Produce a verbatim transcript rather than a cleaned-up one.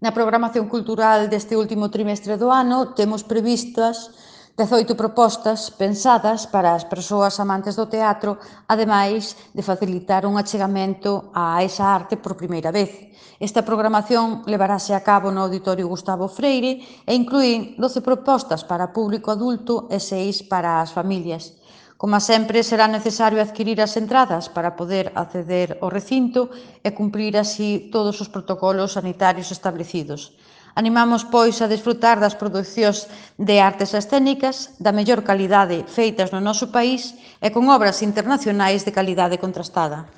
Na programación cultural deste último trimestre do ano temos previstas dezoito propostas pensadas para as persoas amantes do teatro, ademais de facilitar un achegamento a esa arte por primeira vez. Esta programación levarase a cabo no Auditorio Gustavo Freire e inclúe doce propostas para público adulto e seis para as familias. Como sempre, será necesario adquirir as entradas para poder acceder ao recinto e cumprir así todos os protocolos sanitarios establecidos. Animamos, pois, a desfrutar das producións de artes escénicas da mellor calidade feitas no noso país e con obras internacionais de calidade contrastada.